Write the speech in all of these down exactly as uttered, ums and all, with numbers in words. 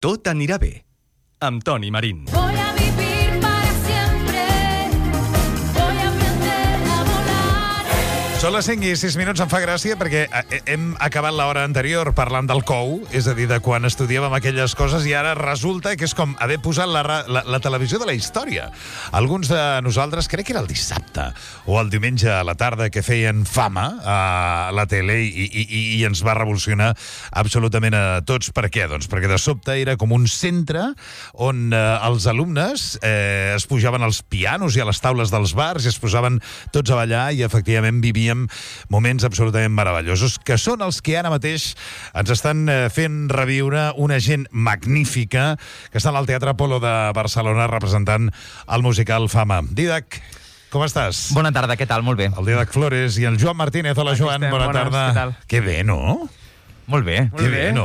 Tot anirà bé, amb Toni Marín. Voy a vivir para siempre. Voy a aprender a volar. Són les cinc i sis minuts, em fa gràcia perquè hem acabat l'hora anterior parlant del cou, és a dir, de quan estudiàvem aquelles coses, i ara resulta que és com haver posat la, la, la televisió de la història. Alguns de nosaltres, crec que era el dissabte o el diumenge a la tarda, que feien Fama a la tele i, i, i ens va revolucionar absolutament a tots. Per què? Doncs perquè de sobte era com un centre on eh, els alumnes eh, es pujaven als pianos i a les taules dels bars i es posaven tots a ballar i efectivament vivíem moments absolutament meravellosos, que són els que ara mateix ens estan eh, fent reviure una gent magnífica que està al Teatre Apolo de Barcelona representant el musical Fama. Didac, com estàs? Bona tarda, què tal? Molt bé. El Didac Flores i el Joan Martínez. Hola, Aquí Joan, estem, bona bones, tarda. què tal? Que bé, no? Molt bé. Que bé, no?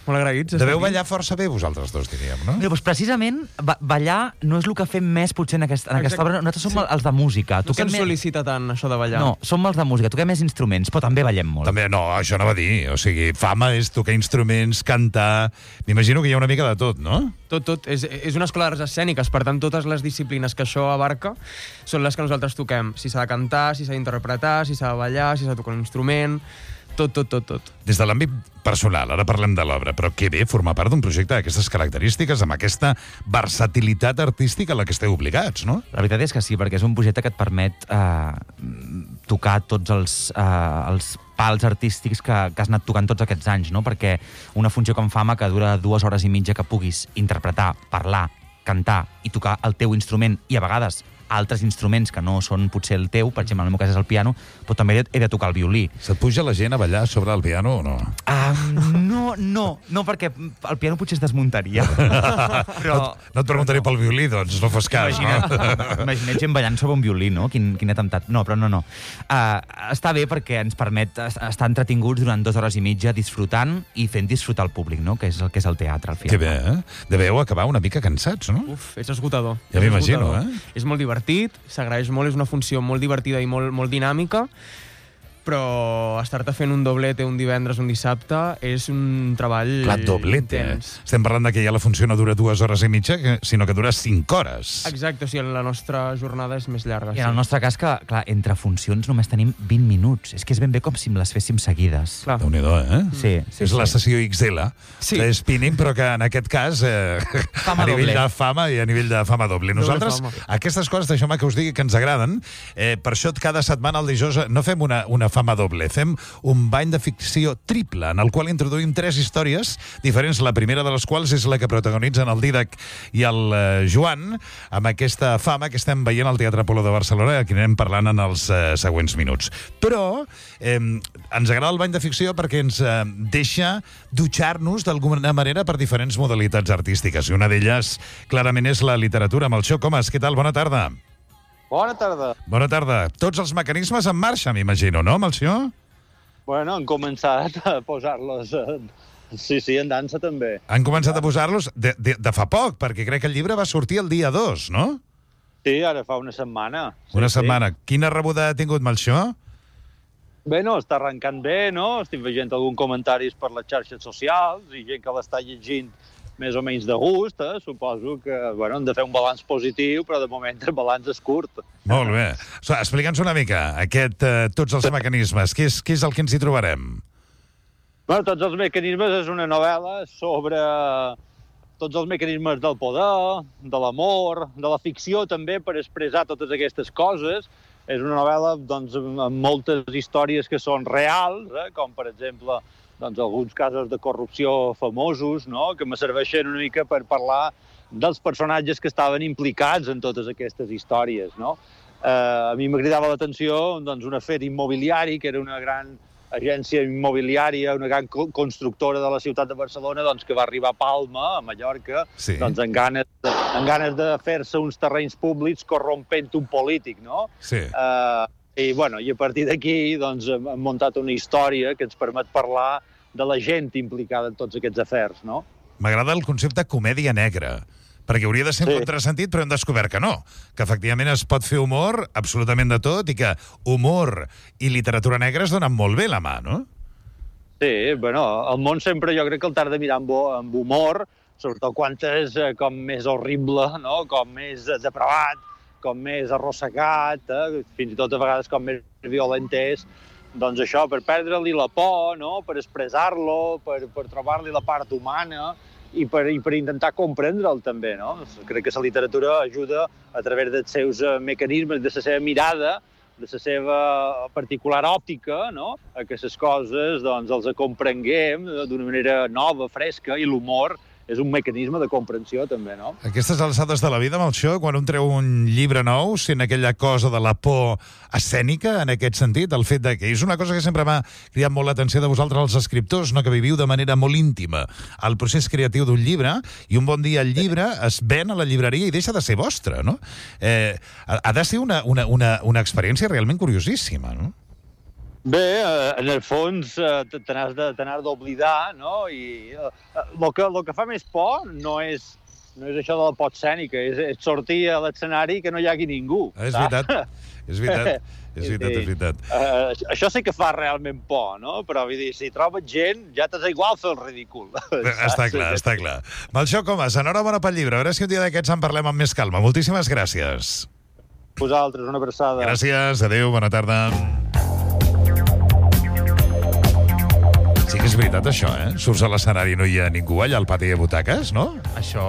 Molt agraïts. Deveu ballar força bé vosaltres dos, diríem, no? Mira, doncs precisament, ba ballar no és el que fem més potser en, aquest, en aquesta obra. Nosaltres som Sí. els de música. No se'n més... sol·licita tant, això de ballar. No, som els de música. Toquem més instruments, però també ballem molt. També, no, això no va dir. O sigui, Fama és tocar instruments, cantar... M'imagino que hi ha una mica de tot, no? Tot, tot. És, és una escola d'arts escèniques, per tant, totes les disciplines que això abarca són les que nosaltres toquem. Si s'ha de cantar, si s'ha d'interpretar, si s'ha de ballar, si s'ha de tocar un instrument... Tot, tot, tot, tot. Des de l'àmbit personal, ara parlem de l'obra, però que bé formar part d'un projecte d'aquestes característiques, amb aquesta versatilitat artística a la que esteu obligats, no? La veritat és que sí, perquè és un projecte que et permet eh, tocar tots els, eh, els pals artístics que, que has anat tocant tots aquests anys, no? Perquè una funció com Fama, que dura dues hores i mitja, que puguis interpretar, parlar, cantar i tocar el teu instrument, i a vegades altres instruments que no són potser el teu, per exemple, en el meu cas és el piano, però també he de tocar el violí. Se't puja la gent a ballar sobre el piano o no? Um, no, no, no, perquè el piano potser es desmuntaria. Però... No, no et preguntaré pel violí, doncs, no fos cas, Imagina't, no? imagina't gent ballant sobre un violí, no? Quin, quin atemptat. No, però no, no. Uh, està bé perquè ens permet estar entretinguts durant dues hores i mitja disfrutant i fent disfrutar el públic, no? Que és el que és el teatre, al final. Que bé, eh? Deveu acabar una mica cansats, no? Uf, és esgotador. Ja És m'imagino, esgotador. eh? És molt divertit, s'agraeix molt, és una funció molt divertida i molt, molt dinàmica, però estar-te fent un doblete un divendres, un dissabte, és un treball Clar, doblete, eh? intens. Estem parlant de que ja la funció no dura dues hores i mitja, sinó que dura cinc hores. Exacte, o sigui, la nostra jornada és més llarga. I en el nostre cas, que, clar, entre funcions només tenim vint minuts. És que és ben bé com si les féssim seguides. Clar. Déu-n'hi-do, eh? Sí, sí, és la sí. sessió X L, Sí. de spinning, però que en aquest cas eh, Fama a nivell doble. de fama i a nivell de fama doble. Nosaltres, fama. aquestes coses, deixeu-me que us digui que ens agraden, eh, per això cada setmana al dijous no fem una, una fama doble, fem un bany de ficció triple, en el qual introduïm tres històries diferents, la primera de les quals és la que protagonitzen el Didac i el eh, Joan, amb aquesta Fama que estem veient al Teatre Apolo de Barcelona, que anirem parlant en els eh, següents minuts. Però eh, ens agrada el bany de ficció perquè ens eh, deixa dutxar-nos d'alguna manera per diferents modalitats artístiques, i una d'elles clarament és la literatura. Melcior Comas, què tal? Bona tarda. Bona tarda. Bona tarda. Tots els mecanismes en marxa, m'imagino, no, Melcior? Bueno, han començat a posar-los... Eh, sí, sí, en dansa també. Han començat a posar-los de, de, de fa poc, perquè crec que el llibre va sortir el dia dos, no? Sí, ara fa una setmana. Sí, Una sí. setmana. Quina rebuda ha tingut, Melcior? Bé, no, està arrencant bé, no? Estic veient algun comentaris per les xarxes socials i gent que l'està llegint més o menys de gust, eh? Suposo que, bueno, hem de fer un balanç positiu, però de moment el balanç és curt. Molt bé. So, explica'ns una mica aquest, eh, tots els mecanismes. Què és, què és el que ens hi trobarem? Bueno, tots els mecanismes és una novel·la sobre tots els mecanismes del poder, de l'amor, de la ficció també, per expressar totes aquestes coses. És una novel·la doncs, amb moltes històries que són reals, eh? Com per exemple doncs, alguns casos de corrupció famosos, no? Que me serveixen una mica per parlar dels personatges que estaven implicats en totes aquestes històries, no? Eh, a mi m'agradava l'atenció doncs, un afer immobiliari, que era una gran agència immobiliària, una gran co constructora de la ciutat de Barcelona, doncs, que va arribar a Palma, a Mallorca, Sí. doncs, amb ganes de, amb ganes de fer-se uns terrenys públics corrompent un polític, no? Sí. Eh, I, bueno, i a partir d'aquí doncs, hem hem muntat una història que ens permet parlar de la gent implicada en tots aquests afers, no? M'agrada el concepte comèdia negra, perquè hauria de ser un Sí. contrasentit, però hem descobert que no, que efectivament es pot fer humor absolutament de tot i que humor i literatura negra es donen molt bé la mà, no? Sí, bueno, el món sempre jo crec que el t'has de mirar amb, amb humor, sobretot quan és eh, com més horrible, no? Com més eh, depravat, com més arrossegat, eh? Fins i tot a vegades com més violent és, doncs això, per perdre-li la por, no? Per expressar-lo, per, per trobar-li la part humana i per, i per intentar comprendre'l també, no? Crec que la literatura ajuda a través dels seus eh, mecanismes, de la seva mirada, de la seva particular òptica, no? A que les coses doncs, els comprenguem d'una manera nova, fresca, i l'humor és un mecanisme de comprensió, també, no? Aquestes alçades de la vida, Melcior, quan un treu un llibre nou, sent aquella cosa de la por escènica, en aquest sentit, el fet de que és una cosa que sempre m'ha cridat molt l'atenció de vosaltres, els escriptors, no? Que viviu de manera molt íntima el procés creatiu d'un llibre, i un bon dia el llibre es ven a la llibreria i deixa de ser vostre, no? Eh, ha, ha de ser una, una, una, una experiència realment curiosíssima, no? Bé, eh, en el fons eh, te n'has de, te n'has d'oblidar, no? I el eh, que, lo que fa més por no és, no és això de la por escènica, és, és sortir a l'escenari i que no hi hagi ningú. És veritat, és veritat, és veritat, és veritat. Uh, això sí que fa realment por, no? Però vull dir, si trobes gent, ja t'és igual fer el ridícul. Està clar, està clar. Melcior Comas, enhorabona pel llibre. A veure si un dia d'aquests en parlem amb més calma. Moltíssimes gràcies. Vosaltres, una abraçada. Gràcies, adéu, bona tarda. Sí que és veritat, això, eh? Surts a l'escenari i no hi ha ningú allà al pati de butaques, no? Això,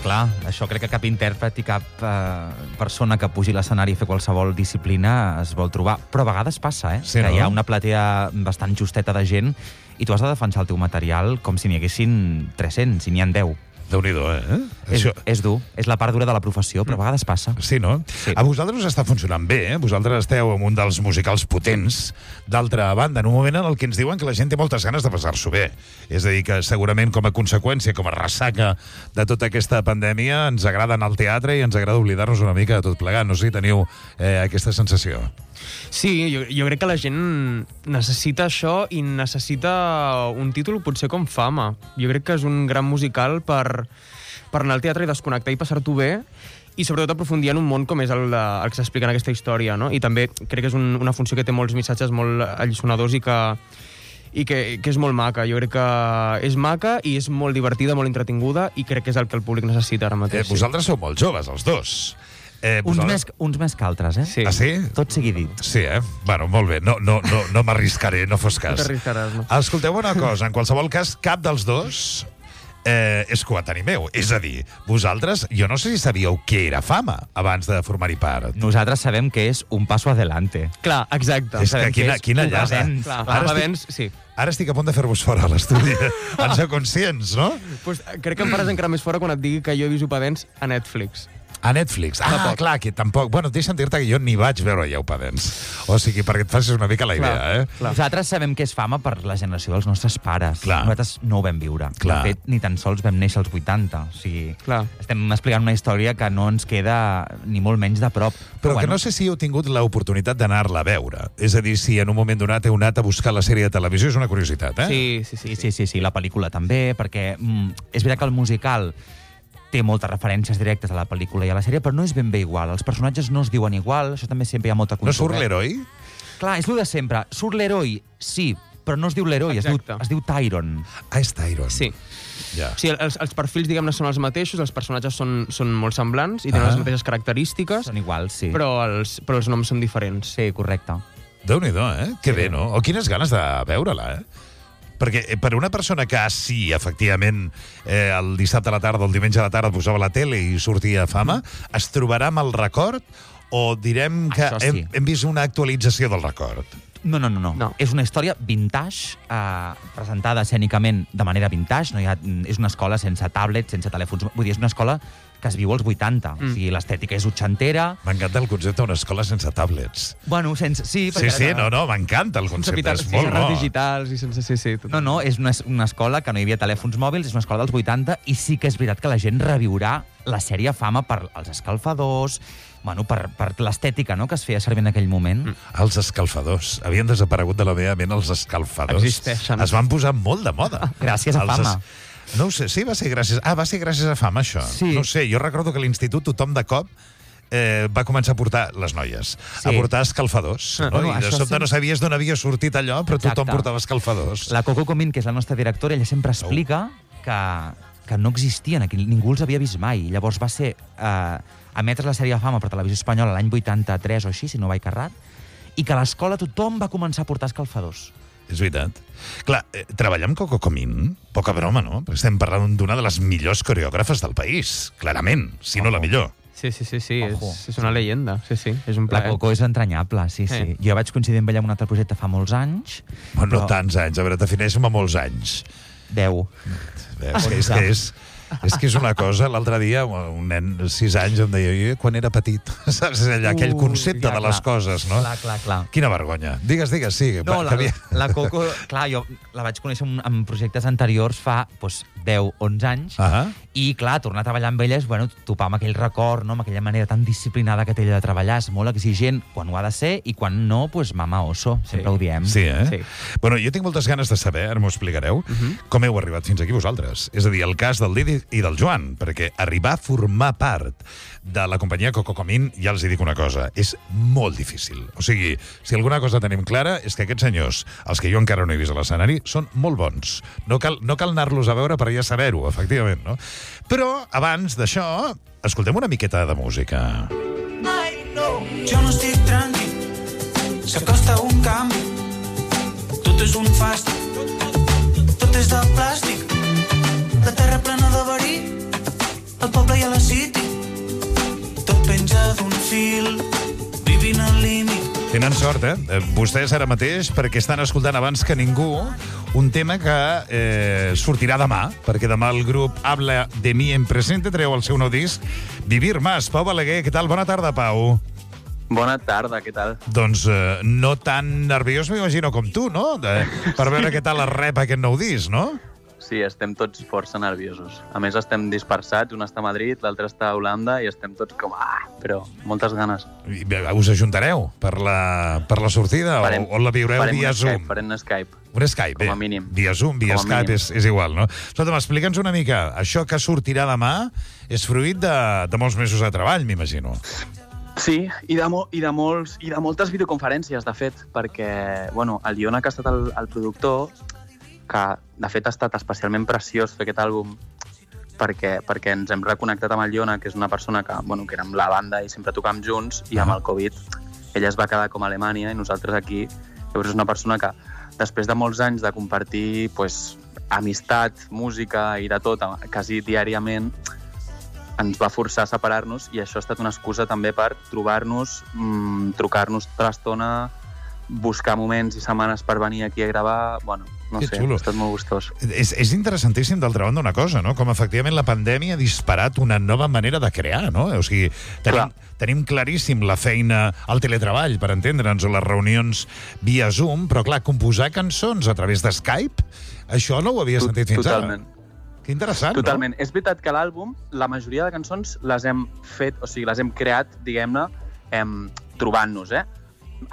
clar, això crec que cap intèrpret i cap eh, persona que pugi a l'escenari a fer qualsevol disciplina es vol trobar. Però a vegades passa, eh? Sí, que no? hi ha una platea bastant justeta de gent i tu has de defensar el teu material com si n'hi haguessin tres-cents, si n'hi ha deu. Déu-n'hi-do, eh? És, és dur, és la part dura de la professió, però a vegades passa. Sí, no? Sí. A vosaltres us està funcionant bé, eh? Vosaltres esteu en un dels musicals potents. D'altra banda, en un moment en el que ens diuen que la gent té moltes ganes de passar-s'ho bé. És a dir, que segurament com a conseqüència, com a ressaca de tota aquesta pandèmia, ens agrada anar al teatre i ens agrada oblidar-nos una mica de tot plegat. No sé si teniu eh, aquesta sensació. Sí, jo, jo crec que la gent necessita això i necessita un títol potser com Fama. Jo crec que és un gran musical per, per anar al teatre i desconnectar i passar-t'ho bé i sobretot aprofundir en un món com és el, de, el que s'explica en aquesta història, no? I també crec que és un, una funció que té molts missatges molt alliçonadors i que, i que, que és molt maca. Jo crec que és maca i és molt divertida, molt entretinguda i crec que és el que el públic necessita ara mateix. Eh, vosaltres sou molt joves, els dos. Eh, Uns, vosaltres... més, uns més que altres, eh? Sí. Ah, sí? Tot sigui dit. Sí, eh? Bueno, molt bé. No, no, no, no m'arriscaré, no fos cas. No t'arriscaràs, no? Escolteu una cosa, en qualsevol cas, cap dels dos eh, és coetani meu. És a dir, vosaltres, jo no sé si sabíeu què era Fama abans de formar-hi part. Nosaltres sabem que és un passo adelante. Clar, exacte. És que sabem quina, que és quina un llasa. avenç. Clar, Ara estic- abans, sí. Ara estic a punt de fer-vos fora a l'estudi. En sou conscients, no? Pues, crec que em faràs encara més fora quan et digui que jo he vist Upadens a Netflix. A Netflix. Ah, Tampoc. clar, que tampoc... Bueno, deixa'm dir-te que jo ni vaig veure ja Upadens. O sigui, perquè et facis una mica la idea, Clar, eh? clar. Nosaltres sabem que és Fama per la generació dels nostres pares. Clar. Nosaltres no ho vam viure. Clar. De fet, ni tan sols vam néixer als vuitanta. O sigui, Clar. estem explicant una història que no ens queda ni molt menys de prop. Però que no sé si heu tingut l'oportunitat d'anar-la a veure. És a dir, si en un moment donat heu anat a buscar la sèrie de televisió, és una curiositat, eh? Sí, sí, sí. Sí, sí, sí, sí, la pel·lícula també, perquè mm, és veritat que el musical té moltes referències directes a la pel·lícula i a la sèrie, però no és ben bé igual. Els personatges no es diuen igual, això també sempre hi ha molta No surt controvèrsia. l'heroi? Clar, és el de sempre. Surt l'heroi, sí, però no es diu l'heroi, es diu, Exacte. es diu Tyron. Ah, és Tyron. Sí. Ja. O sigui, els, els perfils, diguem-ne, són els mateixos, els personatges són, són molt semblants i tenen Ah. les mateixes característiques, Són iguals, sí. però els, però els noms són diferents. Sí, correcte. Déu-n'hi-do, eh? Que bé, no? O quines ganes de veure-la, eh? Perquè eh, per una persona que, sí, efectivament, eh, el dissabte a la tarda o el diumenge a la tarda posava la tele i sortia a Fama, es trobarà amb el record o direm que Això sí. hem, hem vist una actualització del record? No, no, no, no. No. És una història vintage, eh, presentada escènicament de manera vintage. No hi ha, és una escola sense tablets, sense telèfons. Vull dir, és una escola que es viu als vuitanta. Mm. O sigui, l'estètica és utxantera. M'encanta el concepte d'una escola sense tablets. Bueno, sense... Sí, Sí, sí, no, no, m'encanta el Sense concepte, pitar- és molt sense bo. digitals i sense... Sí, sí, tot. No, no, és una, una escola que no hi havia telèfons mòbils, és una escola dels vuitanta, i sí que és veritat que la gent reviurà la sèrie Fama per els escalfadors, bueno, per, per l'estètica, no?, que es feia servir en aquell moment. Mm. Els escalfadors. Havien desaparegut de la meva ment els escalfadors. Existeixen. Es van posar molt de moda. Gràcies a Els Fama. No ho sé, sí, va ser gràcies... Ah, va ser gràcies a Fama, això. Sí. No ho sé, jo recordo que a l'institut tothom de cop eh, va començar a portar, les noies, Sí. a portar escalfadors. Ah, No? bueno, I de això sobte sí. no sabies d'on havia sortit allò, però tothom Exacte. portava escalfadors. La Coco Comín, que és la nostra directora, ella sempre explica que que no existien aquí, ningú els havia vist mai. Llavors va ser eh, emetre la sèrie de Fama per Televisió Espanyola l'any vuitanta-tres o així, si no vaig errat, i que a l'escola tothom va començar a portar escalfadors. És veritat. Clar, eh, treballar amb Coco Comín, poca broma, no? Perquè estem parlant d'una de les millors coreògrafes del país, clarament, si no la millor. Sí, sí, sí, sí. Ojo. És, és una leyenda. Sí, sí, és un La plaer. Coco és entranyable, sí, sí. Eh. Jo vaig coincidir amb ella en un altre projecte fa molts anys. Bueno, no però- tants anys, a veure, defineixo-me molts anys. Deu. És que és, que és, és que és una cosa, l'altre dia un nen de sis anys em deia, jo quan era petit, saps? És allà, aquell Ui, concepte clar, de les clar. coses, no? Clar, clar, clar. Quina vergonya. Digues, digues, sí. No, va, la, que havia- la Coco, clar, jo la vaig conèixer en, en projectes anteriors fa doncs, deu, onze anys, Ah, i clar, tornar a treballar amb elles, bueno, topar amb aquell record, no? Amb aquella manera tan disciplinada que té ella de treballar, és molt exigent quan ho ha de ser, i quan no, doncs mama oso, sempre ho diem. sí, eh? Sí. Bueno, jo tinc moltes ganes de saber, ara m'ho explicareu, com heu arribat fins aquí vosaltres. És a dir, el cas del Didi i del Joan, perquè arribar a formar part de la companyia Coco Comín, ja els hi dic una cosa, és molt difícil. O sigui, si alguna cosa tenim clara és que aquests senyors, els que jo encara no he vist a l'escenari, són molt bons. No cal, no cal anar-los a veure per ja saber-ho, efectivament, no? Però, abans d'això, escoltem una miqueta de música. Jo no estic tranquil, s'acosta un canvi, tot és un fàstic, tot és de plàstic, la terra plena de verí, el poble i a la city, tot penja d'un fil, vivint al límit. Tenen sort, eh? Eh, Vostès ara mateix, perquè estan escoltant abans que ningú un tema que eh, sortirà demà, perquè demà el grup Habla de mi en presente treu el seu nou disc Vivir Más. Pau Balaguer, què tal? Bona tarda, Pau. Bona tarda, què tal? Doncs eh, no tan nerviós, m'imagino, com tu, no? De, per veure què tal es rep aquest nou disc, no? Sí, estem tots força nerviosos. A més, estem dispersats, un està a Madrid, l'altre està a Holanda, i estem tots com, ah, però moltes ganes. I, bé, us ajuntareu per la, per la sortida Farem- o, o la viureu farem via un Zoom? Skype, farem un Skype. Un Skype, Com a bé. mínim. Via Zoom, via Com a Skype, mínim. és, és igual, no? Escolta'm, explica'ns una mica. Això que sortirà demà és fruit de, de molts mesos de treball, m'imagino. Sí, i de, mo i, de molts, i de moltes videoconferències, de fet, perquè, bueno, el Iona, que ha estat el, el productor, que de fet ha estat especialment preciós fer aquest àlbum perquè, perquè ens hem reconnectat amb el Iona, que és una persona que, bueno, que érem la banda i sempre tocàvem junts, i amb el Covid ella es va quedar com a Alemanya i nosaltres aquí. Llavors és una persona que, després de molts anys de compartir pues, amistat, música i de tot, quasi diàriament, ens va forçar a separar-nos, i això ha estat una excusa també per trobar-nos, mmm, trucar-nos tota l'estona, buscar moments i setmanes per venir aquí a gravar. Bueno, no Que sé, xulo. ha estat molt gustós. És, és interessantíssim, d'altra banda, una cosa, no? Com efectivament la pandèmia ha disparat una nova manera de crear, no? O sigui, tenim, tenim claríssim la feina al teletreball, per entendre'ns, o les reunions via Zoom, però clar, composar cançons a través de Skype, això no ho havia To- sentit fins totalment. ara. Que interessant, Totalment. És veritat que l'àlbum, la majoria de cançons les hem fet, o sigui, les hem creat, diguem-ne, em, trobant-nos, eh?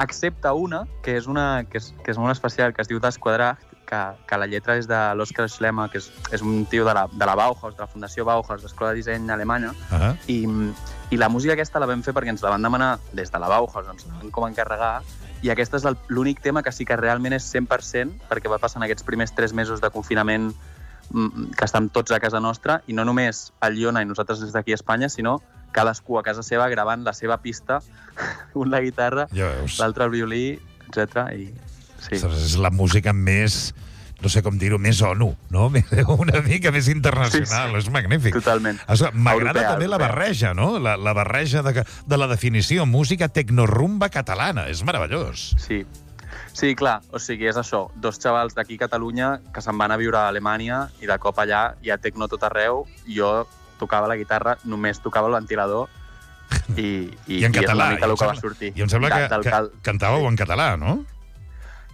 Excepte una, que és una que és, que és molt especial, que es diu Desquadrat, que, que la lletra és de l'Oskar Schlemmer, que és, és un tio de la, de la Bauhaus, de la Fundació Bauhaus, d'Escola de Disseny Alemanya, no? Uh -huh. i, i la música aquesta la vam fer perquè ens la van demanar des de la Bauhaus, ens la van com encarregar, i aquest és el- l'únic tema que sí que realment és cent per cent, perquè va passar en aquests primers tres mesos de confinament mm, que estem tots a casa nostra, i no només el Iona i nosaltres des d'aquí a Espanya, sinó cadascú a casa seva gravant la seva pista, un la guitarra, Ja veus. l'altre el violí, etcètera. I sí. Ostres, és la música més, no sé com dir-ho, més ONU, no? Una mica més internacional, Sí, sí. és magnífic. Totalment. Escolta, m'agrada Europea, també la europea. barreja, no? La, la barreja de, de la definició, música tecnorumba catalana, és meravellós. Sí. Sí, clar, o sigui, és això, dos xavals d'aquí a Catalunya que se'n van a viure a Alemanya i de cop allà hi ha tecno tot arreu, jo tocava la guitarra, només tocava el ventilador i, i, I en i és català. una mica i em el que va sembla- sortir. I em sembla De- que, del que cal- cantàveu en català, no?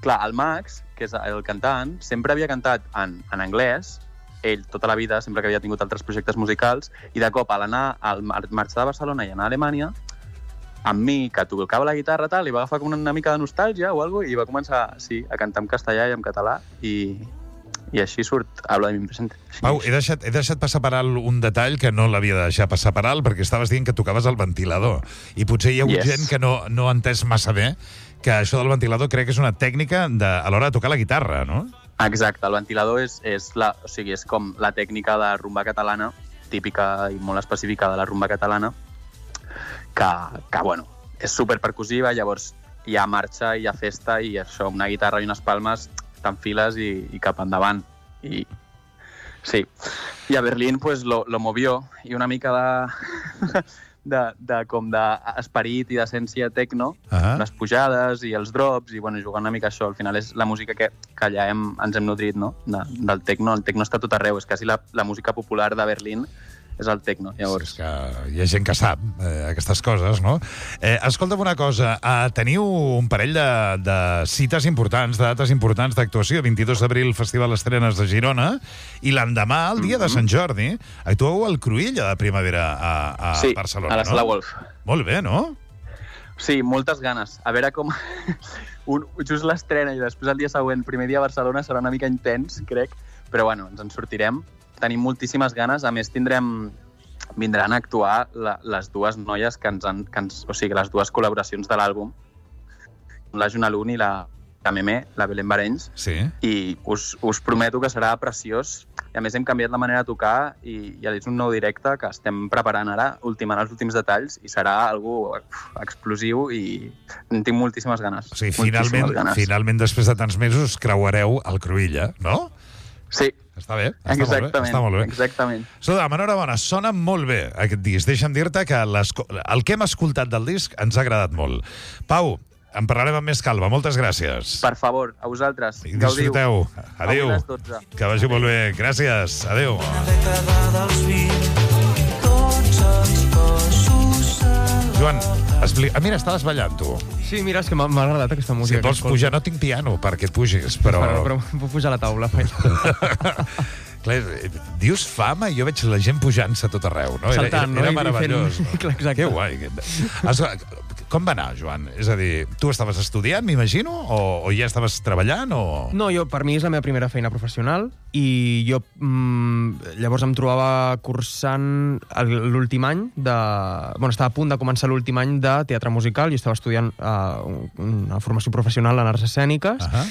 Clar, el Max, que és el cantant, sempre havia cantat en, en anglès, ell tota la vida, sempre que havia tingut altres projectes musicals, i de cop, a l'anar, al mar- marxar de Barcelona i anar a Alemanya, amb mi, que tocava la guitarra, tal, li va agafar com una mica de nostàlgia o alguna cosa, i va començar, sí, a cantar en castellà i en català, i, i així surt Habla de mi presente. Així Pau, és. he deixat, he deixat passar per alt un detall que no l'havia de deixar passar per alt, perquè estaves dient que tocaves el ventilador. I potser hi ha hagut Yes. gent que no, no ha entès massa bé que això del ventilador crec que és una tècnica de, a l'hora de tocar la guitarra, no? Exacte, el ventilador és, és, la, o sigui, és com la tècnica de rumba catalana, típica i molt específica de la rumba catalana, que, que bueno, és superpercussiva, llavors hi ha marxa, hi ha festa i això, una guitarra i unes palmes, t'enfiles i, i cap endavant. I sí. I a Berlín pues, lo, lo movió i una mica de... de, de com d'esperit i d'essència tecno, uh-huh. les pujades i els drops, i bueno, jugant una mica això. Al final és la música que, que allà hem, ens hem nodrit, no? De, del tecno. El tecno està tot arreu, és quasi la, la música popular de Berlín és el tecno, llavors. Sí, és que hi ha gent que sap eh, aquestes coses, no? Eh, escolta'm una cosa, eh, teniu un parell de, de cites importants, de dates importants d'actuació. vint-i-dos d'abril, Festival Estrenes de Girona, i l'endemà, el dia mm-hmm. de Sant Jordi, actueu al Cruïlla de Primavera a, a sí, Barcelona, a la Sala no? Wolf. Molt bé, no? Sí, moltes ganes. A veure com... un, just l'estrena i després el dia següent, primer dia a Barcelona, serà una mica intens, crec, però bueno, ens en sortirem. Tenim moltíssimes ganes. A més, tindrem... vindran a actuar la, les dues noies que ens han... Que ens, o sigui, les dues col·laboracions de l'àlbum. La Juna Lun i la, la Meme, la Belén Barenys. Sí. I us, us prometo que serà preciós. I a més, hem canviat la manera de tocar i, i és un nou directe que estem preparant ara, ultimant els últims detalls, i serà algo explosiu i en tinc moltíssimes ganes. O sigui, finalment, ganes. finalment, després de tants mesos, creuareu el Cruïlla, no? Sí. Està bé, està exactament, molt bé. Està molt bé. Exactament. Sodam, enhorabona, sona molt bé aquest disc. Deixa'm dir-te que el que hem escoltat del disc ens ha agradat molt. Pau, en parlarem amb més calma. Moltes gràcies. Per favor, a vosaltres. I disfruteu. Adéu. Que vagi molt bé. Gràcies. Adéu. Una dècada dels vint, tots els cossos Joan, expli... ah, mira, estaves ballant, tu. Sí, mira, és que m'ha m'ha agradat aquesta Si música. et vols pujar, no tinc piano perquè et pugis, però... Però, però puc pujar a la taula. Clar, dius fama i jo veig la gent pujant-se a tot arreu, no? Saltant, era, era, era no? I meravellós. fent- Clar, exacte. Que guai. Has... Com va anar, Joan? És a dir, tu estaves estudiant, m'imagino, o, o ja estaves treballant, o... No, jo, per mi és la meva primera feina professional i jo mmm, llavors em trobava cursant el- l'últim any de... Bueno, estava a punt de començar l'últim any de teatre musical i estava estudiant uh, una formació professional en arts escèniques. Uh -huh.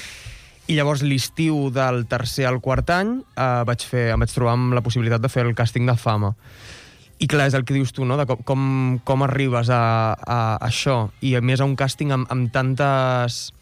I llavors l'estiu del tercer al quart any eh, vaig fer, em vaig trobar amb la possibilitat de fer el càsting de Fama. I clar, és el que dius tu, no? De com, com, com arribes a, a, a això. I a més a un càsting amb, amb tantes...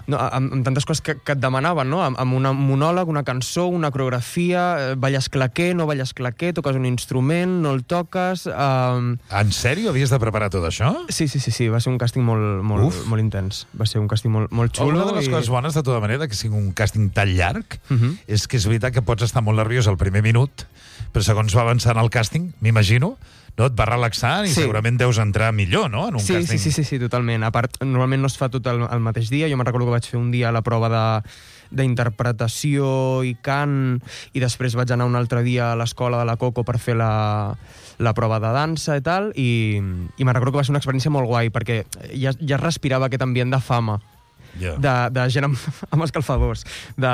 No, amb, amb tantes coses que, que et demanaven, no? Amb, amb un monòleg, una cançó, una coreografia, eh, balles claquer, no balles claquer, toques un instrument, no el toques... Eh... En sèrio havies de preparar tot això? Sí, sí, sí, sí, va ser un càsting molt, molt, molt intens. Va ser un càsting molt, molt xulo. Una de les i... coses bones, de tota manera, que sigui un càsting tan llarg, Uh -huh. és que és veritat que pots estar molt nerviós al primer minut, però segons va avançant el càsting, m'imagino, no, et va relaxant i Sí. segurament deus entrar millor, no?, en un Sí, càsting. sí, sí, sí, sí, totalment. A part, normalment no es fa tot el, el mateix dia. Jo me'n recordo que vaig fer un dia la prova de d'interpretació i cant, i després vaig anar un altre dia a l'escola de la Coco per fer la, la prova de dansa i tal, i, i me'n recordo que va ser una experiència molt guai, perquè ja, ja es respirava aquest ambient de fama. Yeah. De, de gent amb, amb escalfadors, de,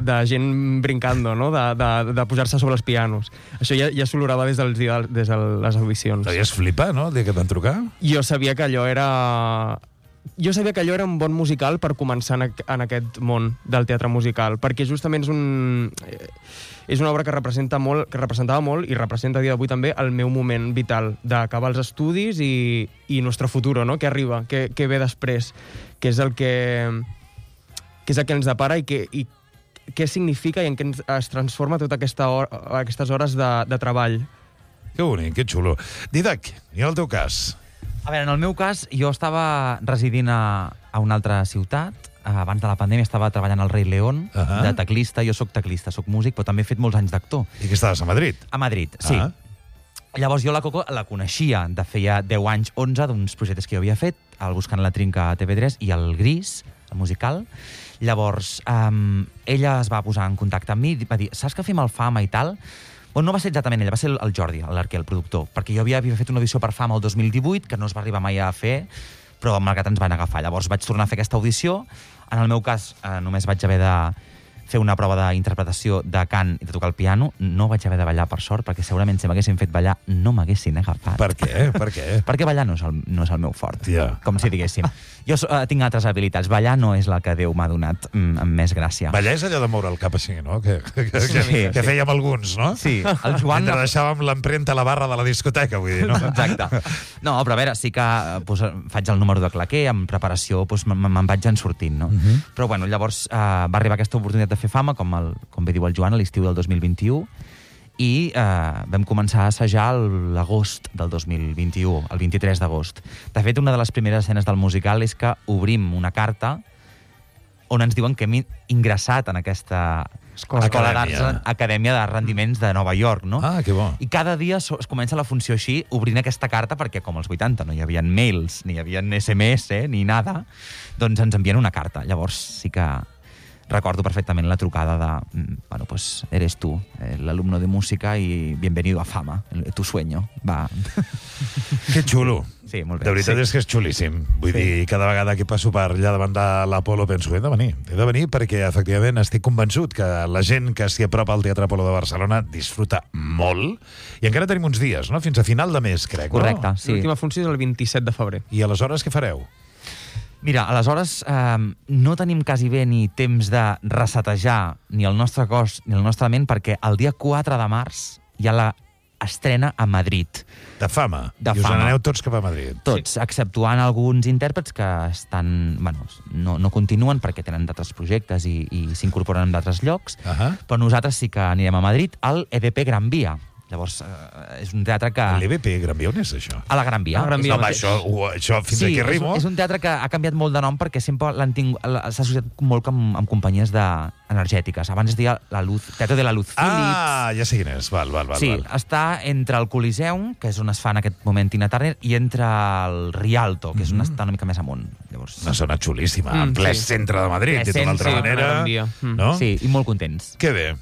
de gent brincando, no? de, de, de posar-se sobre els pianos. Això ja, ja s'olorava des, dels, des de les audicions. Devies flipar, no?, el dia que et van trucar? Jo sabia que allò era... Jo sabia que allò era un bon musical per començar en, en aquest món del teatre musical, perquè justament és un... És una obra que representa molt, que representava molt i representa a dia d'avui també el meu moment vital d'acabar els estudis i, i nostre futuro, no? Què arriba, què, què ve després, què és el que què és el que ens depara i, que, i què significa i en què ens, es transforma tota aquesta hora, aquestes hores de, de treball. Que bonic, que xulo. Didac, i en el teu cas? A veure, en el meu cas, jo estava residint a, a una altra ciutat. Abans de la pandèmia estava treballant al Rei León, uh -huh. de teclista. Jo sóc teclista, sóc músic, però també he fet molts anys d'actor. I que estaves a Madrid? A Madrid, sí. Ah. Llavors jo la Coco la coneixia de feia deu anys, onze, d'uns projectes que jo havia fet, el Buscant la Trinca a T V tres i el Gris, el musical. Llavors, um, ella es va posar en contacte amb mi i va dir, saps que fem el Fama i tal? Bueno, no va ser exactament ella, va ser el Jordi, l'Arquer, el productor, perquè jo havia, havia fet una audició per Fama el dos mil divuit, que no es va arribar mai a fer, però malgrat ens van agafar. Llavors vaig tornar a fer aquesta audició. En el meu cas, eh, només vaig haver de fer una prova d'interpretació de cant i de tocar el piano. No vaig haver de ballar, per sort, perquè segurament si m'haguessin fet ballar no m'haguessin agafat. Per què? Per què? Perquè ballar no és el, no és el meu fort, Ja. com si diguéssim. Jo uh, tinc altres habilitats. Ballar no és la que Déu m'ha donat mm, amb més gràcia. Ballar és allò de moure el cap així, no? Que, que, que, Sí, que, que sí. fèiem alguns, no? Sí, el Joan... Mentre deixàvem l'empremta a la barra de la discoteca, vull dir, no? Exacte. No, però a veure, sí que pues, faig el número de claquer, amb preparació pues, me'n vaig en sortint, no? Mhm. Però bueno, llavors eh, va arribar aquesta oportunitat de fer fama, com, el, com bé diu el Joan, a l'estiu del dos mil vint-i-u, i eh, vam començar a assajar l'agost del dos mil vint-i-u, el vint-i-tres d'agost. De fet, una de les primeres escenes del musical és que obrim una carta on ens diuen que hem ingressat en aquesta Escola, Escola Acadèmia. d'Arts, Acadèmia de Rendiments de Nova York, no? Ah, que bo. I cada dia so- es comença la funció així, obrint aquesta carta, perquè com als vuitanta no hi havia mails, ni hi havia esse eme esse, ni nada, doncs ens envien una carta. Llavors sí que recordo perfectament la trucada de, mm, bueno, pues eres tú, eh, l'alumno de música y bienvenido a Fama, el- tu sueño. Va. Que xulo. Sí, molt bé. De veritat Sí. és que és xulíssim. Vull Sí. dir, cada vegada que passo per allà davant de l'Apolo penso, he de venir. He de venir perquè, efectivament, estic convençut que la gent que s'hi apropa al Teatre Apolo de Barcelona disfruta molt. I encara tenim uns dies, no? Fins a final de mes, crec, Correcte, no? sí. L'última funció és el vint-i-set de febrer. I aleshores què fareu? Mira, aleshores eh, no tenim quasi bé ni temps de resetejar ni el nostre cos ni el nostre ment, perquè el dia quatre de març hi ha la estrena a Madrid. De fama. De I us fama. n'aneu tots cap a Madrid. Tots, sí. Exceptuant alguns intèrprets que estan, bueno, no, no continuen perquè tenen d'altres projectes i, i s'incorporen en d'altres llocs, Uh -huh. però nosaltres sí que anirem a Madrid al E D P Gran Via. Llavors, eh, és un teatre que... L'E B P Gran Via, on és això? A la Gran Via. A la Gran És Via No, el home, mateix. això, ho- això fins Sí, aquí és, arribo. un- és un teatre que ha canviat molt de nom perquè sempre l'han tingut, la- s'ha associat molt amb, amb companyies de, energètiques. Abans es deia la Luz, Teatre de la Luz Philips. Ah, ja sé quin és. Val, val, val. Sí, val. està entre el Coliseum, que és on es fa en aquest moment Tina Turner, i entre el Rialto, que és on està una mica més amunt. Llavors, Una zona xulíssima, Mm, en ple sí. centre de Madrid, Ple dit d'una altra centre, manera. a la Gran Via. Mm. No? sí, i molt contents. Que bé.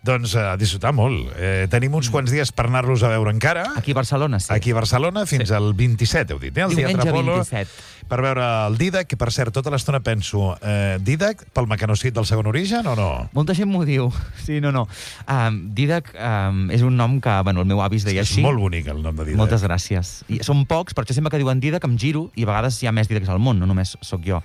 Doncs a disfrutar molt. Eh, tenim uns quants dies per anar-los a veure encara. Aquí a Barcelona, sí. Aquí a Barcelona, fins Sí. al vint-i-set, heu dit, eh? Al Diumenge Teatre Apolo, vint-i-set. per veure el Dídac, que per cert, tota l'estona penso, eh, Dídac pel mecanocit del segon origen o no? Molta gent m'ho diu. Sí, no, no. Um, Didac um, és un nom que, bueno, el meu avi es deia és així. molt bonic el nom de Dídac. Moltes gràcies. I són pocs, per això sempre que diuen Didac em giro, i a vegades hi ha més Didacs al món, no només sóc jo.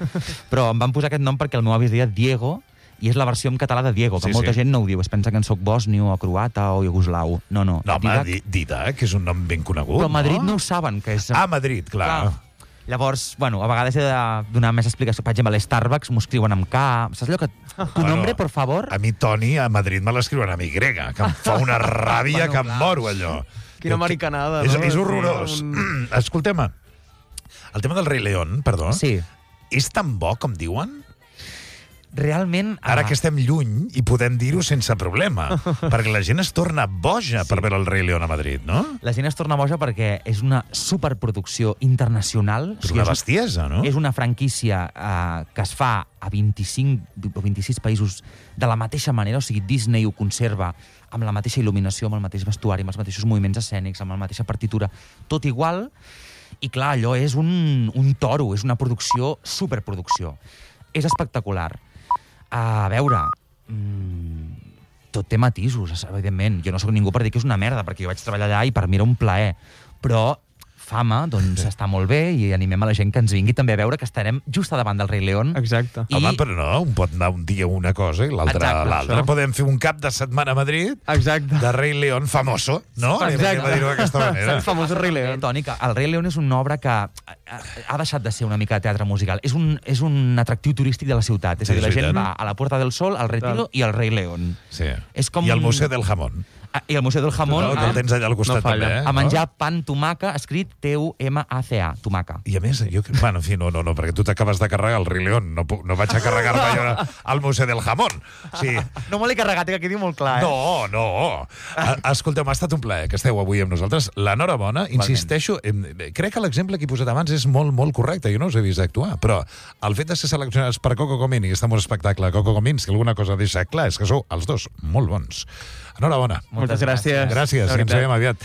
Però em van posar aquest nom perquè el meu avi es deia Diego, i és la versió en català de Diego, que Sí, molta sí. gent no ho diu. Es pensa que en soc bòsnio, o croata, o iugoslau. No, no. No, home, Didac- Di- Dídac és un nom ben conegut, Però a Madrid no? no ho saben, que és... Ah, Madrid, clar. Clar. Llavors, bueno, a vegades he de donar més explicació. Per exemple, a l'Starbucks m'ho escriuen amb K. Saps allò que... Tu Bueno, nombre, por favor? A mi, Toni, a Madrid me l'escriuen amb Y, que em fa una ràbia Bueno, que em clar. moro, allò. Quina americanada, és, no? És horrorós. Un- Escolteu-me, el tema del Rei León, perdó, Sí. és tan bo com diuen? Realment... Ara ah, que estem lluny i podem dir-ho sense problema, perquè la gent es torna boja per veure el Rei León a Madrid, no? La gent es torna boja perquè és una superproducció internacional. És O sigui, una bestiesa, no? És una franquícia eh, que es fa a vint-i-cinc o vint-i-sis països de la mateixa manera, o sigui, Disney ho conserva amb la mateixa il·luminació, amb el mateix vestuari, amb els mateixos moviments escènics, amb la mateixa partitura, tot igual, i clar, allò és un, un toro, és una producció, superproducció. És espectacular. A veure, mmm, tot té matisos, evidentment. Jo no sóc ningú per dir que és una merda, perquè jo vaig treballar allà i per mi era un plaer. Però Fama, doncs, està molt bé i animem a la gent que ens vingui també a veure que estarem just a davant del Rei León. Exacte. I- Home, però no, un pot anar un dia a una cosa i l'altre a Exacte, l'altra. això. Podem fer un cap de setmana a Madrid Exacte. de Rei León famoso, no? Anem Exacte. a dir-ho d'aquesta manera. El famós Rei Eh, León. Toni, que el Rei León és una obra que ha ha deixat de ser una mica de teatre musical. És un, és un atractiu turístic de la ciutat. És Sí, a dir, la és gent veritat. va a la Puerta del Sol, al Retiro i al Rei León. Sí. És com I el un- Museu del Jamón. Ah, I el Museu del Jamón No, que el tens allà al costat No falla. també, eh? a menjar pan tomaca, escrit T U M A C A, tomaca. I a més, jo... Bueno, en fi, no, no, no, perquè tu t'acabes de carregar el Rei León. No, puc- no vaig a carregar-me allò al Museu del Jamón. Sí. No me l'he carregat, que quedi molt clar, eh? No, no. A- Escolteu, m'ha estat un plaer que esteu avui amb nosaltres. L'enhorabona, insisteixo, em, crec que l'exemple que he posat abans és molt, molt correcte. Jo no us he vist actuar, però el fet de ser seleccionats per Coco Comín i que estem en un espectacle Coco Comín, si alguna cosa deixa clar és que sou els dos molt bons. Enhorabona. Moltes gràcies. Gràcies, De i ens veritat. veiem aviat.